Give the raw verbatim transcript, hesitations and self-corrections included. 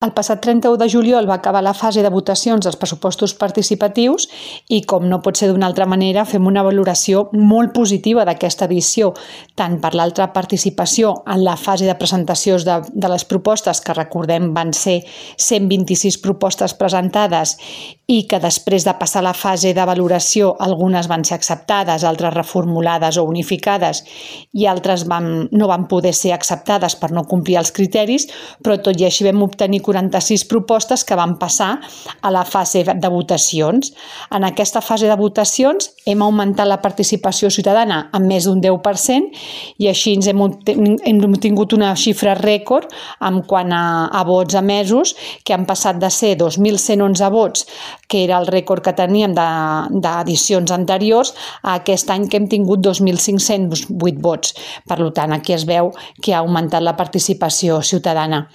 El passat trenta-u de juliol va acabar la fase de votacions dels pressupostos participatius i, com no pot ser d'una altra manera, fem una valoració molt positiva d'aquesta edició, tant per l'altra participació en la fase de presentacions de, de les propostes, que recordem van ser cent vint-i-sis propostes presentades i que després de passar la fase de valoració algunes van ser acceptades, altres reformulades o unificades i altres van, no van poder ser acceptades per no complir els criteris, però tot i així vam obtenir quaranta-sis propostes que van passar a la fase de votacions. En aquesta fase de votacions hem augmentat la participació ciutadana en més d'un deu per cent i així ens hem, hem tingut una xifra rècord en quant a, a vots emesos, que han passat de ser dos mil cent onze vots, que era el rècord que teníem d'edicions anteriors, a aquest any que hem tingut dos mil cinc-cents vuit vots. Per tant, aquí es veu que ha augmentat la participació ciutadana.